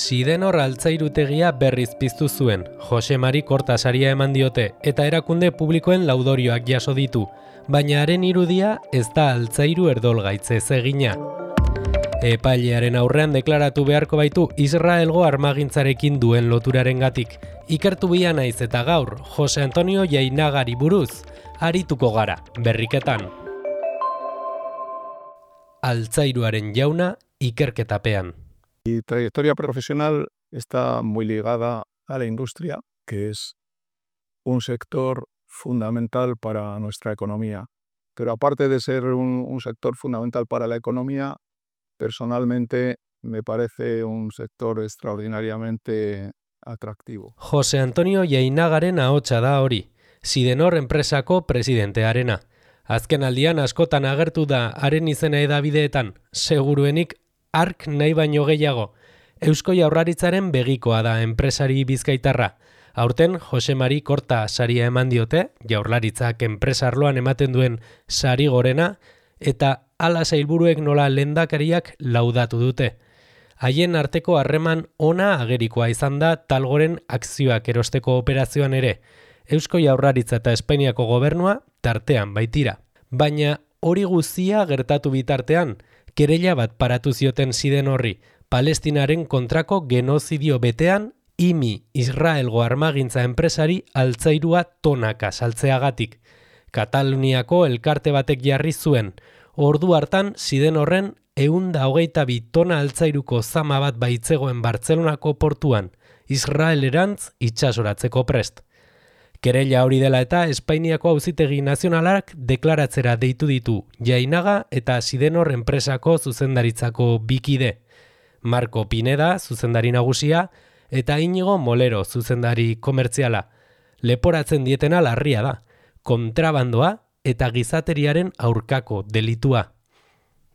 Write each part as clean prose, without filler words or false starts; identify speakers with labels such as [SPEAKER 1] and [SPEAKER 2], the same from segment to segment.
[SPEAKER 1] Sidenor altzairutegia berriz piztu zuen, Jose Mari Korta saria eman diote eta erakunde publikoen laudorioak jaso ditu, baina haren irudia ez da altzairu erdolgaitze egina. Epailearen aurrean deklaratu beharko baitu Israelgo armagintzarekin duen loturarengatik. Ikertu bia naiz eta gaur, Jose Antonio Jainagari buruz, arituko gara, berriketan. Altzairuaren jauna ikerketapean.
[SPEAKER 2] Mi trayectoria profesional está muy ligada a la industria, que es un sector fundamental para nuestra economía. Pero aparte de ser un sector fundamental para la economía, personalmente me parece un sector extraordinariamente atractivo.
[SPEAKER 1] Jose Antonio Jainagaren ahotsa da hori, Sidenor enpresako presidentearena. Azken aldian askotan agertu da haren izena edabideetan, seguruenik ark nahi baino gehiago. Eusko Jaurlaritzaren begikoa da enpresari bizkaitarra. Aurten Jose Mari Korta saria eman diote, Jaurlaritzak enpresarloan ematen duen sari gorena, eta hala sailburuek nola lehendakariak laudatu dute. Haien arteko harreman ona agerikoa izan da Talgoren akzioak erosteko operazioan ere. Eusko Jaurlaritza eta Espainiako gobernua tartean baitira. Baina hori guztia gertatu bitartean, kereila bat paratu zioten Sidenorri, Palestinaren kontrako genozidio betean, IMI Israelgo armagintza enpresari altzairua tonaka saltzeagatik. Kataluniako elkarte batek jarri zuen, ordu hartan Sidenorren 122 tona altzairuko zama bat baitzegoen Bartzelonako portuan, Israelerantz itsasoratzeko prest. Kereila hori dela eta Espainiako Auzitegi Nazionalak deklaratzera deitu ditu Jainaga eta Sidenor enpresako zuzendaritzako bikide. Marco Pineda, zuzendari nagusia, eta Inigo Molero, zuzendari komertziala. Leporatzen dietena larria da, kontrabandoa eta gizateriaren aurkako delitua.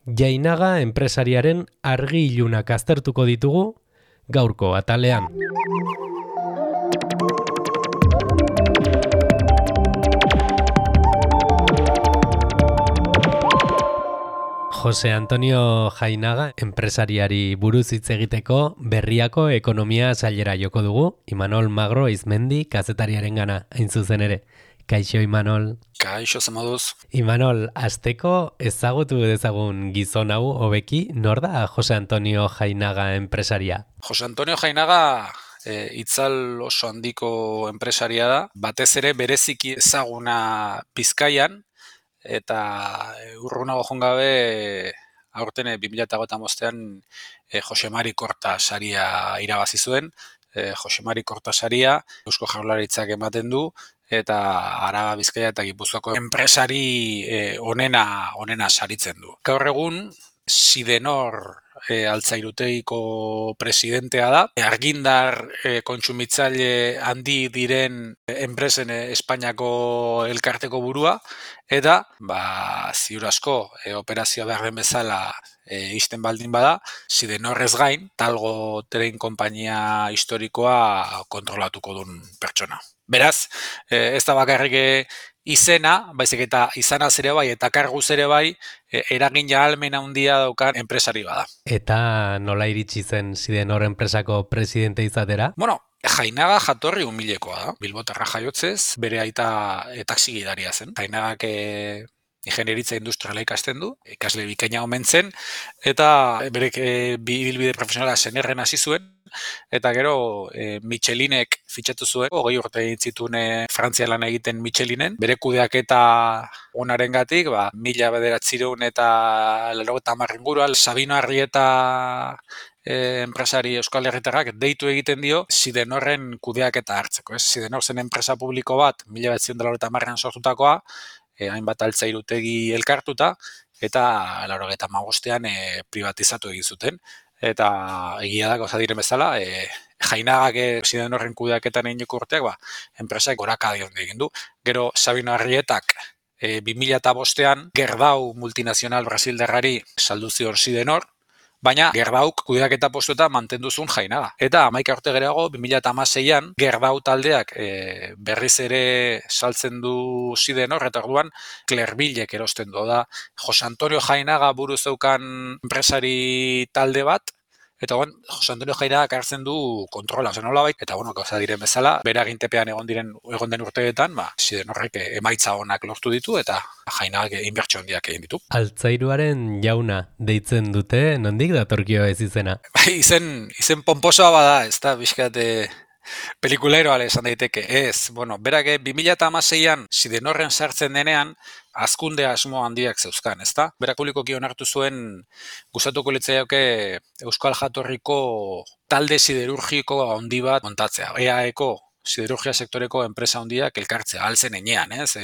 [SPEAKER 1] Jainaga enpresariaren argi ilunak aztertuko ditugu gaurko atalean. Jose Antonio Jainaga enpresariari buruz hitz egiteko Berriako ekonomia sailera joko dugu, Imanol Magro Izmendi kazetariarengana hain zuzen ere. Kaixo Imanol.
[SPEAKER 3] Kaixo zemoduz.
[SPEAKER 1] Imanol, asteko ezagutu dezagun gizon hau hobeki, nor da Jose Antonio Jainaga enpresaria?
[SPEAKER 3] Jose Antonio Jainaga itzal oso handiko enpresaria da, batez ere bereziki ezaguna Bizkaian, eta urrunago joan gabe aurten 2025an Jose Mari Korta saria irabazi zuen. Jose Mari Korta saria Eusko Jaurlaritzak ematen du, eta Araba, Bizkaia eta Gipuzkoako enpresari onena saritzen du. Gaur egun Sidenor altzairutegiko presidentea da. Argindar kontsumitzaile handi diren enpresen Espainiako elkarteko burua, eta ziur asko operazioa behar den bezala ixten baldin bada, Sidenorrez gain, Talgo tren konpainia historikoa kontrolatuko duen pertsona. Beraz, ez da bakarrik izena, baizik eta izanaz ere bai, eta karguz ere bai, eragin ahalmena handia daukan enpresari bada.
[SPEAKER 1] Eta nola iritsi zen Sidenor enpresako presidente izatera?
[SPEAKER 3] Bueno, Jainaga jatorri humilekoa da. Bilbotarra jaiotzez, bere aita taxigidaria zen. Jainagak ingenieritza industriala ikasten du, ikasle bikaina omen zen, eta bere ibilbide profesionala Senerren hasi zuen, eta gero Michelinek fitxatu zuen, 20 urte egin zituen Frantzia lan egiten Michelinen, bere kudeaketa onarengatik, 1990 eta 80 inguruan, Sabino Arrieta enpresari Euskal Herritarrak deitu egiten dio Sidenorren kudeaketa hartzeko. Sidenor zen enpresa publiko bat, 1980an sortutakoa, hainbat altzairutegi elkartuta, eta 1985an privatizatu egin zuten. Eta egia da, gauza diren bezala, Jainagak Sidenorren kudeaketan eginiko urteak, enpresak gorakada egin du. Gero Sabino Arrietak 2005an Gerdau multinazional brasildarrari saldu zion Sidenor, baina Gerdauk kudeaketa postuetan mantendu zuen Jainaga. Eta 11 urte geroago, 2016an, Gerdau taldeak berriz ere saltzen du Sidenor, eta orduan Clervillek erosten du. Da, Jose Antonio Jainaga buru zeukan enpresari talde bat, eta Jose Antonio Jainagak hartzen du kontrola, nolabait, eta gauza diren bezala, bere agintepean egon den urteetan, Sidenorrek emaitza onak lortu ditu, eta Jainagak inbertsio handiak egin ditu.
[SPEAKER 1] Altzairuaren jauna deitzen dute, nondik datorkio ez izena?
[SPEAKER 3] Izen pomposoa bada, ez da, bizkate pelikuleroa esan daiteke, ez. Berak 2016an Sidenorren sartzen denean, hazkunde asmo handiak zeuzkan, ezta? Berak publikoki onartu zuen gustatuko litzaiake Euskal Jatorriko talde siderurgiko handi bat montatzea. EAEko siderurgia sektoreko enpresa handiak elkartzea, altzen enean, ez?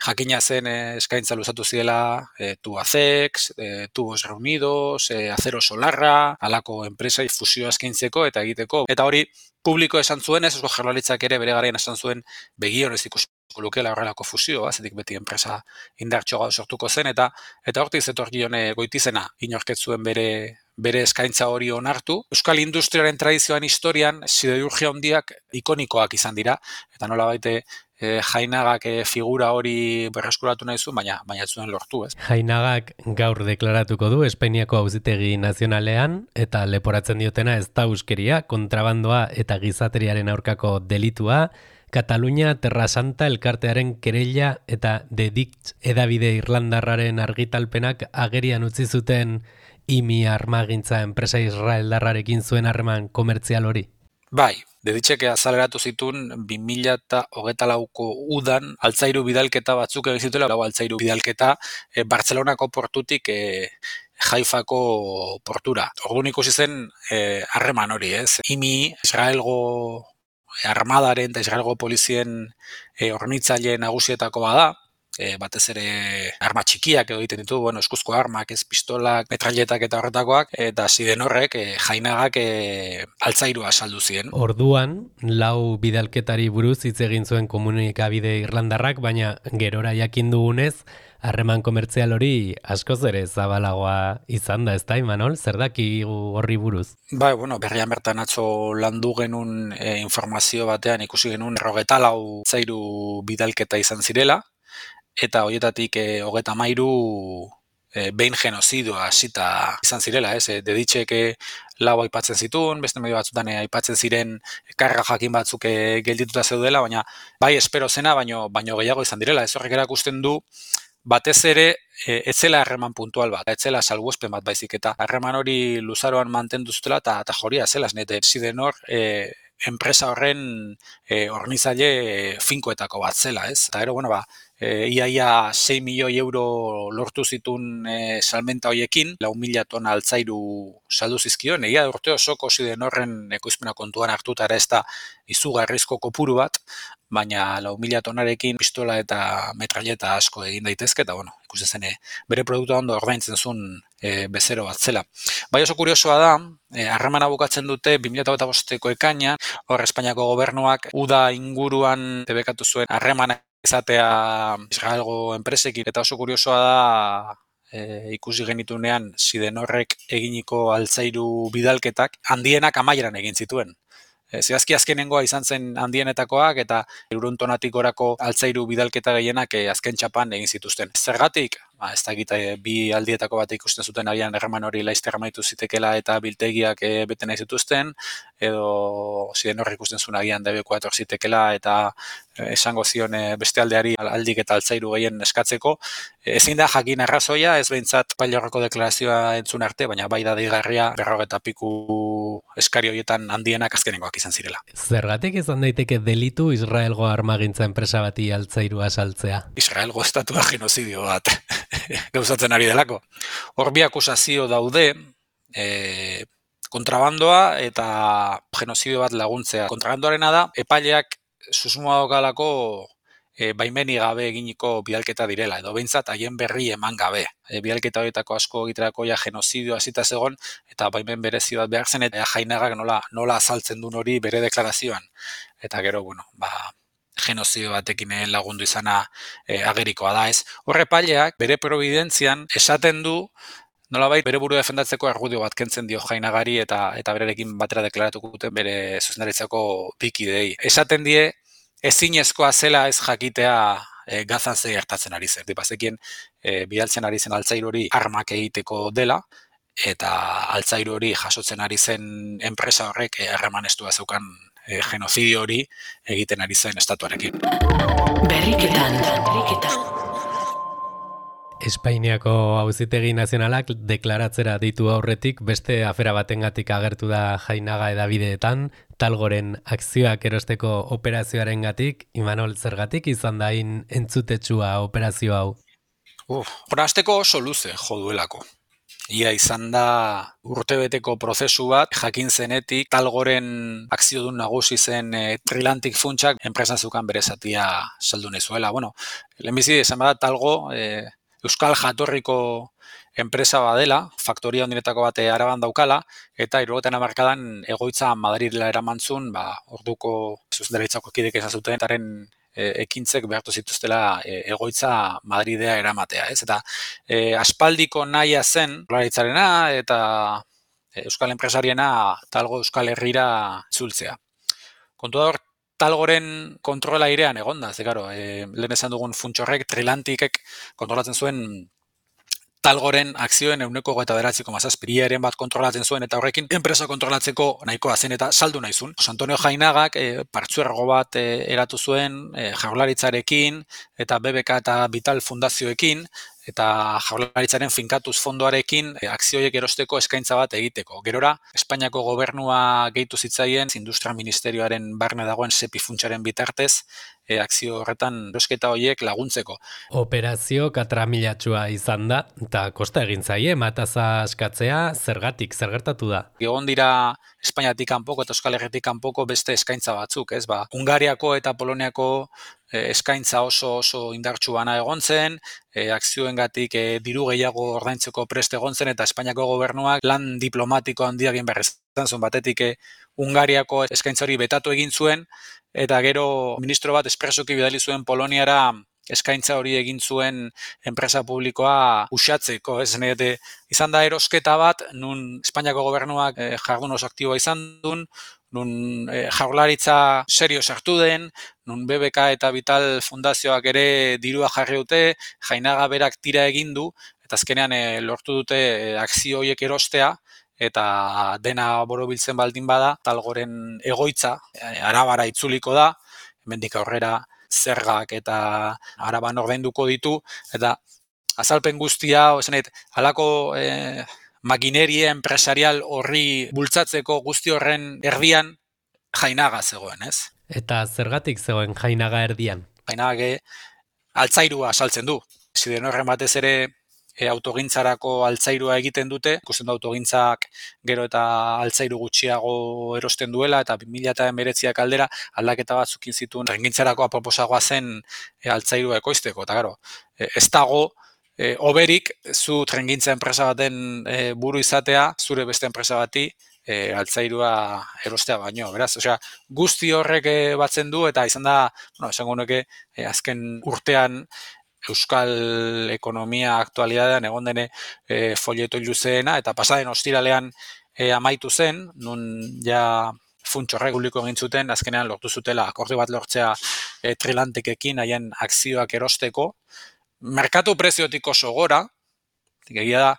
[SPEAKER 3] Jakina zen eskaintza luzatu zidela Tubacex, Tubos Reunidos, Acero Solarra, halako enpresa fusioa eskaintzeko eta egiteko. Eta hori publiko esan zuen, Eusko Jaurlaritzak ere bere garaian esan zuen begionez ikusiko lukeela horrelako fusioa, zetik beti enpresa indartxoa sortuko zen, eta hortik zetorkion Goitizena inorket zuen bere eskaintza hori onartu. Euskal industriaren tradizioan historian siderurgia handiak ikonikoak izan dira, eta nolabait Jainagak figura hori berreskuratu nahi zuen, baina ez zuen lortu, ez?
[SPEAKER 1] Jainagak gaur deklaratuko du Espainiako Auzitegi Nazionalean eta leporatzen diotena ez da euskeria, kontrabandoa eta gizateriaren aurkako delitua, Katalunia Terra Santa elkartearen kereila eta The Dict edabide irlandarraren argitalpenak agerian utzi zuten IMI armagintza enpresa israeldarrarekin zuen harreman komertzial hori.
[SPEAKER 3] Bai, Deditxek azaleratu zituen 2024ko udan altzairu bidalketa batzuk egin zituela, altzairu bidalketa Bartzelonako portutik Haifako portura. Orduan ikusi zen harreman hori, ez? IMI, Israelgo armadaren eta Israelgo polizien hornitzaile nagusietako bada, batez ere arma txikiak edo egiten ditu, eskuzko armak, ez pistolak, metralletak eta horretakoak, eta Sidenorrek Jainagak altzairua saldu ziren.
[SPEAKER 1] Orduan, 4 bidalketari buruz hitz egin zuen komunikabide irlandarrak, baina gerora jakin dugunez, harreman komertzial hori askoz ere zabalagoa izan da, ez da, Imanol? Zer dakigu horri buruz?
[SPEAKER 3] Bai, berrian bertan atzo landu genuen informazio batean ikusi genuen 24 altzairu bidalketa izan zirela, eta horietatik 33 behin genozidoa hasita izan zirela, ez? Deditxek 4 aipatzen zituen, beste medio batzutan aipatzen ziren karga jakin batzuk geldituta zeudela, baina bai espero zena, baino gehiago izan direla. Ez horrek erakusten du, batez ere, ez zela harreman puntual bat, ez zela salbuespen bat baizik, eta harreman hori luzaroan mantendu zutela, eta joria zela, nete Sidenor enpresa horren hornizaile finkoetako bat zela, ez? Eta gero, iaia 6 milioi euro lortu zituen salmenta hoiekin, 4.000 tona altzairu saldu zizkion, egia urte osoko Sidenorren ekoizpena kontuan hartuta ere ez da izugarrizko kopuru bat, baina 4.000 tonarekin pistola eta metralleta asko egin daitezke, eta ikusten zen bere produktua ondo ordaintzen zuen bezero bat zela. Bai oso kuriosoa da, harremana bukatzen dute 2025ko ekainan, hor Espainiako gobernuak uda inguruan debekatu zuen harremana izatea Israelgo enpresekin, eta oso kuriosoa da ikusi genitunean Sidenorrek eginiko altzairu bidalketak handienak amaieran egin zituen. Zehazki azkenengoa izan zen handienetakoak eta 100 tonatik gorako altzairu bidalketa gehienak azken txapan egin zituzten. Zergatik? Ez dakit bi aldietako bat ikusten zuten agian harreman hori laizter amaitu zitekela eta biltegiak bete nahi zituzten, edo Sidenorrek ikusten zuen agian debekoa etor zitekela eta esango zion beste aldeari aldik eta altzairu gehien eskatzeko. Ezin da jakin arrazoia, ez behintzat Pailorreko deklarazioa entzun arte, baina bai da deigarria 40 piku eskari horietan handienak azkenengoak izan zirela.
[SPEAKER 1] Zergatik izan daiteke delitu Israelgo armagintza enpresa bati altzairua saltzea?
[SPEAKER 3] Israelgo estatua genozidio bat gauzatzen ari delako. Hor bi akusazio daude, kontrabandoa eta genozidio bat laguntzea. Kontrabandoarena da, epaileak susmoa daukalako baimeni gabe eginiko bidalketa direla, edo behintzat haien berri eman gabe. Bidalketa horietako asko egiterako genozidio hasita zegon, eta baimen berezi bat behar zen, eta Jainagak nola azaltzen duen hori bere deklarazioan. Eta gero, genozidio batekin lagundu izana agerikoa da, ez. Horre epaileak bere providentzian esaten du, nolabait bere burua defendatzeko argudio bat kentzen dio Jainagari eta bererekin batera deklaratuko duten bere zuzendaritzako bikidei. Esaten die, ezinezkoa zela ez jakitea Gazan ze gertatzen ari zen. Bazekien bidaltzen ari zen altzairu hori armak egiteko dela, eta altzairu hori jasotzen ari zen enpresa horrek harreman estua zeukan genozidio hori egiten ari zen estatuarekin.
[SPEAKER 1] Berriketan. Espainiako Auzitegi Nazionalak deklaratzera ditu aurretik beste afera batengatik agertu da Jainaga hedabideetan, Talgoren akzioak erosteko operazioarengatik. Imanol, zergatik izan da hain entzutetsua operazio hau?
[SPEAKER 3] Hasteko oso luze jo duelako. Ia izan da urtebeteko prozesu bat, jakin zenetik Talgoren akziodun nagusi zen Trilantic funtsak enpresan zeukan bere zatia saldu nahi zuela. Lehenbizi esan bada Talgo euskal jatorriko enpresa badela, faktoria hondiretako bat Araban daukala, eta 70 hamarkadan egoitza Madridela eramantzun, orduko zuzendaritzako kidek esan zuten, etaren ekintzek behartu zituztela egoitza Madridea eramatea, ez? Eta aspaldiko nahia zen Jaurlaritzarena eta euskal enpresariena Talgo Euskal Herrira itzultzea. Kontua hor, Talgoren kontrola airean egonda, lehen esan dugun funtsorrek, Trilanticek kontrolatzen zuen Talgoren akzioen 29,7% bat kontrolatzen zuen, eta horrekin enpresa kontrolatzeko nahikoa zen eta saldu nahi zuen. Antonio Jainagak partzuergo bat eratu zuen Jaurlaritzarekin eta BBK eta Vital Fundazioekin, eta Jaurlaritzaren finkatuz fondoarekin akzioiek erosteko eskaintza bat egiteko. Gerora, Espainiako gobernua gehitu zitzaien Industria Ministerioaren barne dagoen SEPI funtsaren bitartez, akzio horretan erosketa horiek laguntzeko.
[SPEAKER 1] Operazio katramilatxua izan da, eta kosta egin zaie, mataza askatzea, zergatik, zer gertatu da?
[SPEAKER 3] Egon dira Espainiatik kanpoko eta Euskal Herritik kanpoko beste eskaintza batzuk, ez? Hungariako eta Poloniako eskaintza oso indartsu bana egon zen, akzioengatik diru gehiago ordaintzeko prest egon zen, eta Espainiako gobernuak lan diplomatiko handia egin behar izan zuen, batetik Hungariako eskaintza hori betatu egin zuen, eta gero ministro bat espresoki bidali zuen Poloniara eskaintza hori egin zuen enpresa publikoa uxatzeko, ez? Izan da erosketa bat, nun Espainiako gobernuak jardun oso aktiboa izan duen, nun Jaurlaritza serio sartu den, nun BBK eta Vital Fundazioak ere dirua jarri dute, Jainaga berak tira egin du, eta azkenean lortu dute akzio horiek erostea, eta dena borobiltzen baldin bada, Talgoren egoitza Arabara itzuliko da, hemendik aurrera zergak eta Araban ordainduko ditu, eta azalpen guztia, halako makineria empresarial horri bultzatzeko guzti horren erdian Jainaga zegoen, ez?
[SPEAKER 1] Eta zergatik zegoen Jainaga erdian?
[SPEAKER 3] Jainaga altzairua saltzen du. Sidenorren batez ere autogintzarako altzairua egiten dute, ikusten du autogintzak gero eta altzairu gutxiago erosten duela, eta 2019 aldera aldaketa batzukin zituen trengintzarako aproposagoa zen altzairua ekoizteko, eta gero, ez dago oberik zu trengintza enpresa baten buru izatea, zure beste enpresa bati altzairua erostea baino, beraz, guzti horrek batzen du, eta izan da, esango nuke, azken urtean euskal ekonomia aktualidadean egon dene folieto luzeena, eta pasaden ostiralean amaitu zen, nun ja funtsorrek publiko egin zuten, azkenean lortu zutela akordio bat lortzea Trilanticekin haien akzioak erosteko. Merkatu preziotik oso gora, egia da,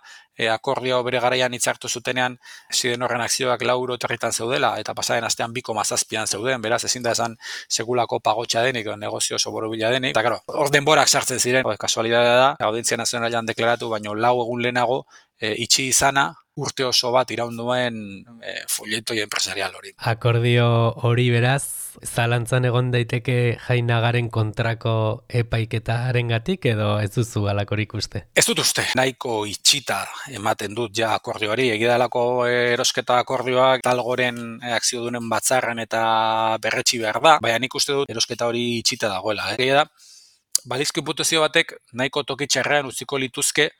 [SPEAKER 3] akordio bere garaian hitzartu zutenean Sidenorren akzioak 4 euro territan zeudela, eta pasaden astean 2,7 zeuden, beraz ezin da esan sekulako pagotxa denik, negozio oso borobila denik, eta hor denborak sartzen ziren, kasualidadea da, Audientzia Nazionalean deklaratu, baino 4 egun lehenago itxi izana, urte oso bat iraunduen folletoi empresarial hori.
[SPEAKER 1] Akordio hori beraz, zalantzan egon daiteke Jainagaren kontrako epaiketarengatik edo ez duzu halakorik uste?
[SPEAKER 3] Ez dut uste, nahiko itxita ematen dut ja akordioari, egidalako erosketa akordioak Talgoren akziodunen batzarren eta berretsi behar da, baina nik uste dut erosketa hori itxita dagoela. Egia da, balizko hipotezio batek nahiko tokitxarrean utziko lituzke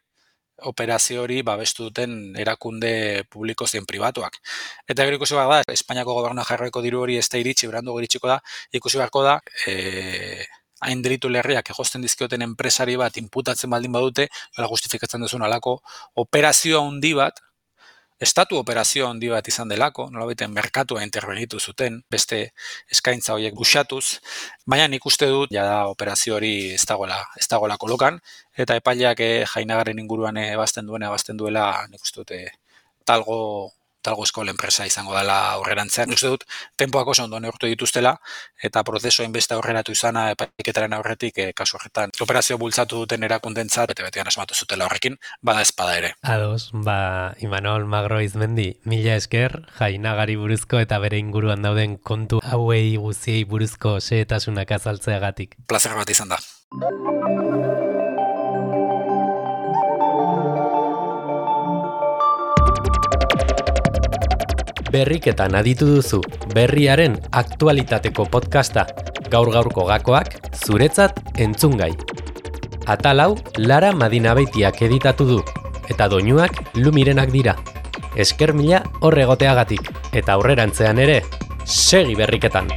[SPEAKER 3] operazio hori babestu duten erakunde publiko zein pribatuak. Eta gero ikusi behar da, Espainiako gobernua jarroiko diru hori ez da iritsi, berandu iritsiko da, ikusi beharko da, hain delitu lerriak egosten dizkioten enpresari bat inputatzen baldin badute, justifikatzen duzun alako operazioa handi bat, estatu operazio handi bat izan delako, nolabaiten merkatua intervenitu zuten, beste eskaintza horiek buxatuz, baina nik uste dut, jada operazio hori ez dagoela kolokan, eta epaileak Jainagaren inguruan ebazten duela, nik uste dut talgo eskola enpresa izango dela aurrerantzean. Uste dut, tempoak oso ondo neurtu dituztela, eta prozesua inbeste aurreratu izana epaiketaren aurretik, kasu horretan, operazio bultzatu duten erakundentzat, bete-betean asmatu zutela horrekin, bada espada ere.
[SPEAKER 1] Ados, Imanol Magro Izmendi, mila esker, Jainagari buruzko eta bere inguruan dauden kontu hauei guziei buruzko xehetasunak azaltzeagatik.
[SPEAKER 3] Plazer bat izan da.
[SPEAKER 1] Berriketan aditu duzu, berriaren aktualitateko podcasta, gaur-gaurko gakoak, zuretzat entzungai. Atal hau, Lara Madinabeitiak editatu du, eta doinuak Lumirenak dira. Esker mila horregoteagatik, eta aurrerantzean ere, segi berriketan!